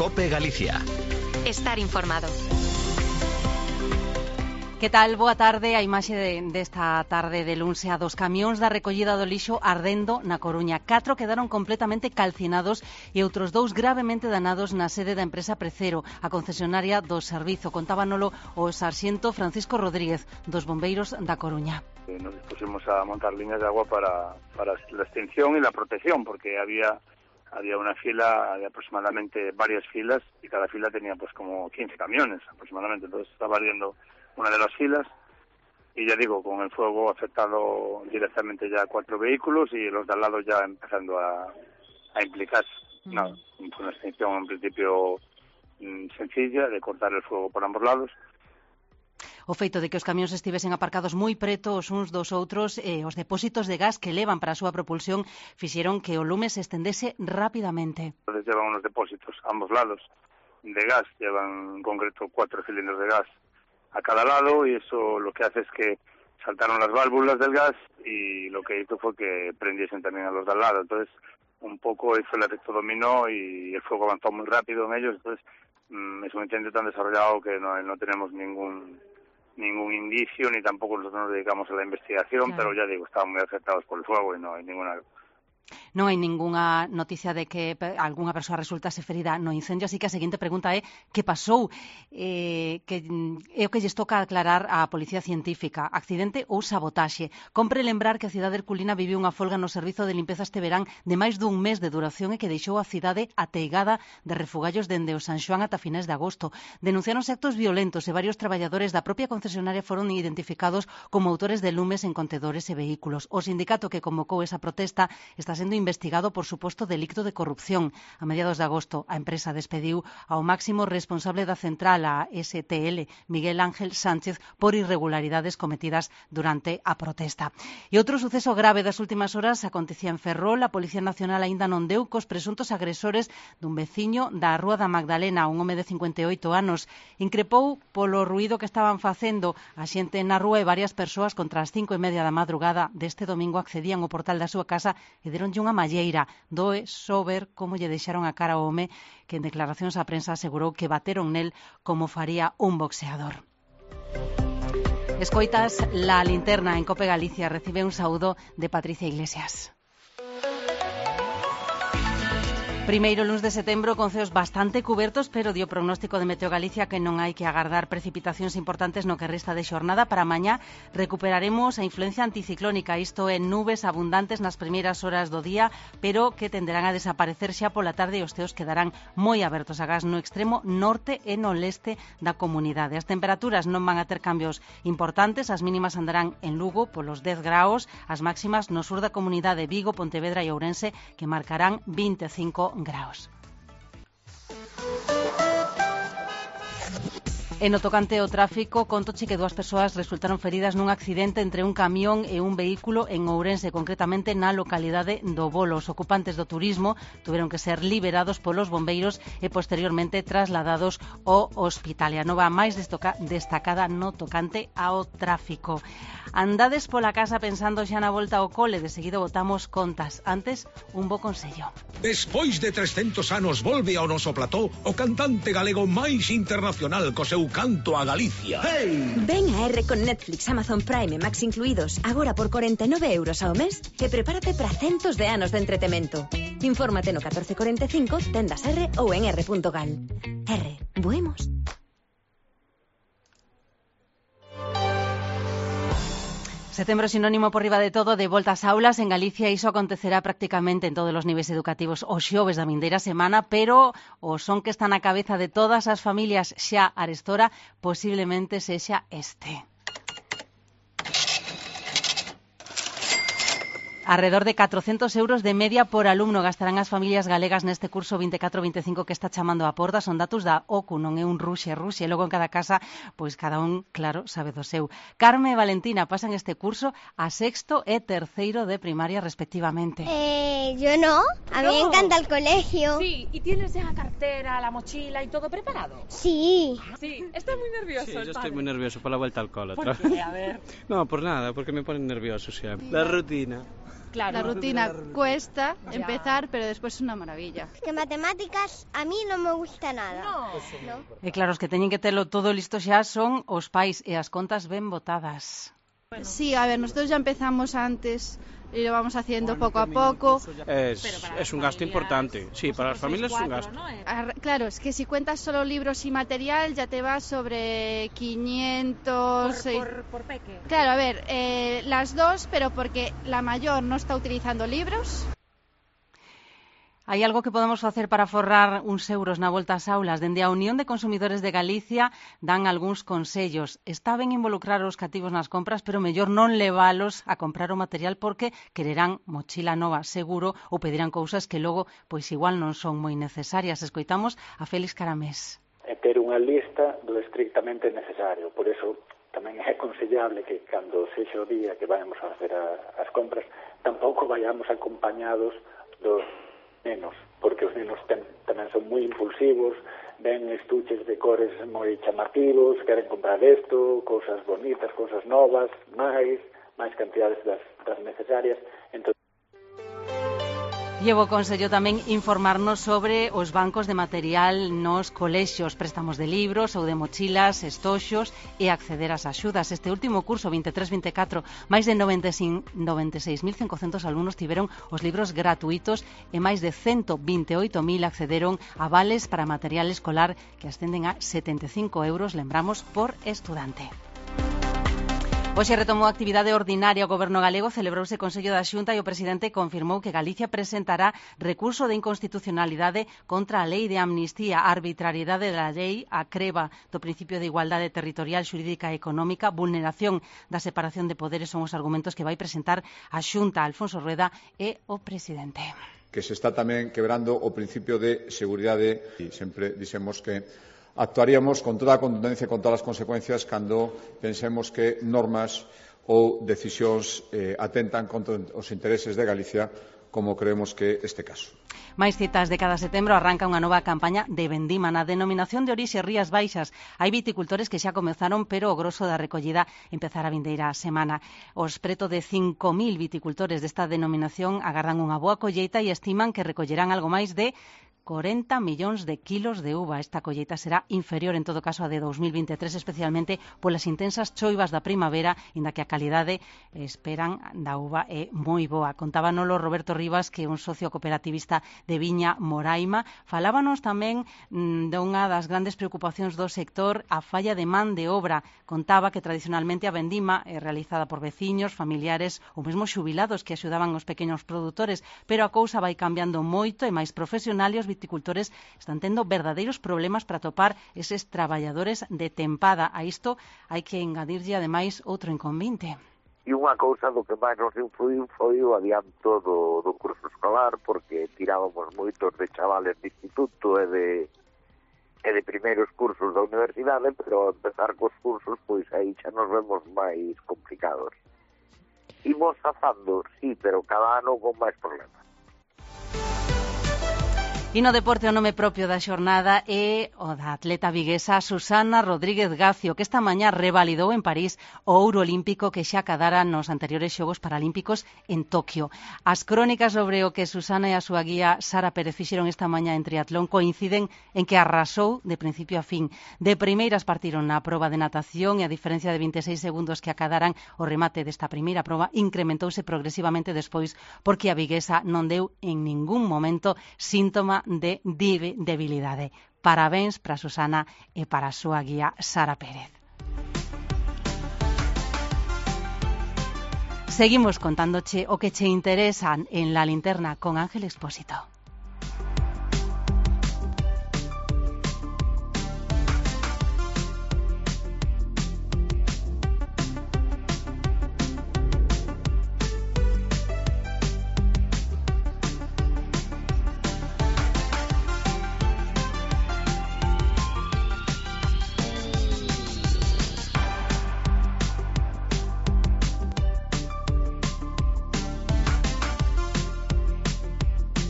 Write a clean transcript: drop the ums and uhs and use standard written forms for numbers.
COPE Galicia. Estar informado. Que tal? Boa tarde. A imaxe desta tarde de luns a dos camións da recollida do lixo ardendo na Coruña. 4 quedaron completamente calcinados e outros 2 gravemente danados na sede da empresa Precero, a concesionaria do servizo. Contábanolo o sarxento Francisco Rodríguez, dos bombeiros da Coruña. Nos dispusimos a montar líneas de agua para la extinción y la protección, porque había una fila de aproximadamente varias filas y cada fila tenía pues como 15 camiones aproximadamente. Entonces estaba ardiendo una de las filas y ya digo, con el fuego afectado directamente ya 4 vehículos y los de al lado ya empezando a implicarse. Nada, fue una extinción en principio sencilla de cortar el fuego por ambos lados. O feito de que os camións estivesen aparcados moi preto os uns dos outros e os depósitos de gas que levan para a súa propulsión fixeron que o lume se estendese rapidamente. Entonces llevan unos depósitos a ambos lados de gas, llevan en concreto 4 cilindros de gas a cada lado y eso lo que hace es que saltaron las válvulas del gas y lo que hizo fue que prendiesen también a los de al lado. Entonces un poco hizo el efecto dominó y el fuego avanzó muy rápido en ellos. Entonces es un incendio tan desarrollado que no tenemos ningún indicio, ni tampoco nosotros nos dedicamos a la investigación, claro. Pero ya digo, estaban muy afectados por el fuego y no hay ningunha noticia de que algunha persoa resultase ferida no incendio, así que a seguinte pregunta é que pasou, que é o que lles toca aclarar á Policía Científica, accidente ou sabotaxe. Compre lembrar que a cidade herculina viviu unha folga no servizo de limpeza este verán de máis dun mes de duración e que deixou a cidade ateigada de refugallos dende o San Xoán ata finais de agosto. Denunciaronse actos violentos e varios traballadores da propia concesionaria foron identificados como autores de lumes en contedores e vehículos. O sindicato que convocou esa protesta está sendo investigado por suposto delicto de corrupción. A mediados de agosto, a empresa despediu ao máximo responsable da central, a STL, Miguel Ángel Sánchez, por irregularidades cometidas durante a protesta. E outro suceso grave das últimas horas acontecía en Ferrol. A Policía Nacional aínda non deu cos presuntos agresores dun veciño da Rúa da Magdalena, un home de 58 anos. Increpou polo ruído que estaban facendo a xente na rúa e varias persoas contra as 5:30 da madrugada deste domingo accedían ao portal da súa casa e deronlle unha malleira. Doe só ver como lle deixaron a cara ao home, que en declaracións á prensa asegurou que bateron nel como faría un boxeador. Escoitas La Linterna en COPE Galicia. Recibe un saúdo de Patricia Iglesias. Primeiro luns de setembro con ceos bastante cubertos, pero dio pronóstico de Meteo Galicia que non hai que agardar precipitacións importantes no que resta de xornada. Para mañá recuperaremos a influencia anticiclónica, isto é, nubes abundantes nas primeiras horas do día, pero que tenderán a desaparecer xa pola tarde e os ceos quedarán moi abertos agás no extremo norte e no leste da comunidade. As temperaturas non van a ter cambios importantes, as mínimas andarán en Lugo polos 10 graus, as máximas no sur da comunidade, Vigo, Pontevedra e Ourense, que marcarán 25 graus. En o tocante ao tráfico, contoche que 2 persoas resultaron feridas nun accidente entre un camión e un vehículo en Ourense, concretamente na localidade do Bolo. Os ocupantes do turismo tuveron que ser liberados polos bombeiros e posteriormente trasladados ao hospital. E a nova máis destacada no tocante ao tráfico. Andades pola casa pensando xa na volta ao cole, de seguido botamos contas. Antes, un bo consello. Despois de 300 anos volve ao noso plató o cantante galego máis internacional co seu canto a Galicia. Hey! Ven a R con Netflix, Amazon Prime e Max incluídos, agora por 49 euros ao mes, e prepárate para centos de anos de entretemento. Infórmate no 1445, tendas R ou en r.gal. R, buemos. Setembro sinónimo por riba de todo de volta ás aulas. En Galicia iso acontecerá prácticamente en todos os niveis educativos os xoves da vindeira semana, pero o son que está na cabeza de todas as familias xa arestora posiblemente sexa este. Alrededor de 400 euros de media por alumno gastarán as familias galegas neste curso 24-25 que está chamando a porta. Son datos da OCU, non é un ruxe. E logo en cada casa, pois cada un, claro, sabe do seu. Carme e Valentina pasan este curso a sexto e terceiro de primaria respectivamente. Yo no, a mí me encanta el colegio. Sí, ¿y tienes ya la cartera, la mochila y todo preparado? Sí. Sí, estás muy nervioso. Sí, yo estoy muy nervioso por la vuelta al cole. ¿Por qué? A ver. No, por nada, porque me ponen nervioso siempre. La rutina. Claro. La rutina cuesta empezar, pero después es una maravilla. Que matemáticas a mí no me gusta nada. No. E claro, os que teñen que telo todo listo xa son os pais e as contas ben botadas. Sí, a ver, nosotros ya empezamos antes y lo vamos haciendo poco a poco. Es un gasto importante, sí, para las familias es un gasto. ¿no? Claro, es que si cuentas solo libros y material ya te vas sobre 500... Por peque. Claro, a ver, las dos, pero porque la mayor no está utilizando libros. Hai algo que podemos facer para forrar uns euros na volta ás aulas? Dende a Unión de Consumidores de Galicia dan algúns consellos. Está ben involucrar os cativos nas compras, pero mellor non leválos a comprar o material porque quererán mochila nova, seguro, ou pedirán cousas que logo, pois igual non son moi necesarias. Escoitamos a Félix Caramés. É ter unha lista do estrictamente necesario. Por eso tamén é aconsellable que cando sexa o día que vayamos a facer as compras, tampouco vayamos acompañados dos nenos, porque os nenos tamén son moi impulsivos, ven estuches de cores moi chamativos, queren comprar isto, cousas bonitas, cousas novas, máis cantidades das necesarias. Entón, Llevo consello tamén informarnos sobre os bancos de material nos colexios, préstamos de libros ou de mochilas, estoxos e acceder ás axudas. Este último curso, 23-24, máis de 96.500 alumnos tiveron os libros gratuitos e máis de 128.000 accederon a vales para material escolar que ascenden a 75 euros, lembramos, por estudante. Hoxe retomou a actividade ordinaria o Goberno galego, celebrouse o Consello da Xunta e o presidente confirmou que Galicia presentará recurso de inconstitucionalidade contra a lei de amnistía, a arbitrariedade da lei, a creba do principio de igualdade territorial, xurídica e económica, vulneración da separación de poderes son os argumentos que vai presentar a Xunta, Alfonso Rueda e o presidente. Que se está tamén quebrando o principio de seguridade e sempre dixemos que actuaríamos con toda a contundencia e con todas as consecuencias cando pensemos que normas ou decisións atentan contra os intereses de Galicia, como creemos que este caso. Máis citas de cada setembro arranca unha nova campaña de vendima na denominación de orixe Rías Baixas. Hai viticultores que xa comezaron, pero o grosso da recollida empezará a vindeira semana. Os preto de 5.000 viticultores desta denominación agardan unha boa colleita e estiman que recollerán algo máis de 40 millóns de kilos de uva. Esta colleita será inferior, en todo caso, a de 2023, especialmente polas intensas choivas da primavera, inda que a calidade esperan da uva é moi boa. Contábanolo Roberto Rivas, que é un socio cooperativista de Viña Moraima. Falábanos tamén dunha das grandes preocupacións do sector, a falla de man de obra. Contaba que tradicionalmente a vendima é realizada por veciños, familiares ou mesmo xubilados que axudaban os pequenos produtores, pero a cousa vai cambiando moito e máis profesional e os viticultores están tendo verdadeiros problemas para topar eses traballadores de tempada. A isto hai que engadirlle ademais outro inconveniente. E unha cousa do que máis nos influiu foi o adianto do curso escolar, porque tirábamos moitos de chavales de instituto e de primeiros cursos da universidade, pero ao empezar cos cursos, pois aí xa nos vemos máis complicados. Imos zafando, sí, pero cada ano con máis problemas. E no deporte o nome propio da xornada é o da atleta viguesa Susana Rodríguez Gacio, que esta mañá revalidou en París o ouro olímpico que xa acadara nos anteriores Xogos Paralímpicos en Tokio. As crónicas sobre o que Susana e a súa guía Sara Pérez fixeron esta mañá en triatlón coinciden en que arrasou de principio a fin. De primeiras partiron na proba de natación e a diferencia de 26 segundos que acadaran o remate desta primeira proba incrementouse progresivamente despois porque a viguesa non deu en ningún momento síntoma de debilidade. Parabéns para Susana e para a súa guía Sara Pérez. Seguimos contándoche o que che interesa en La Linterna con Ángel Expósito.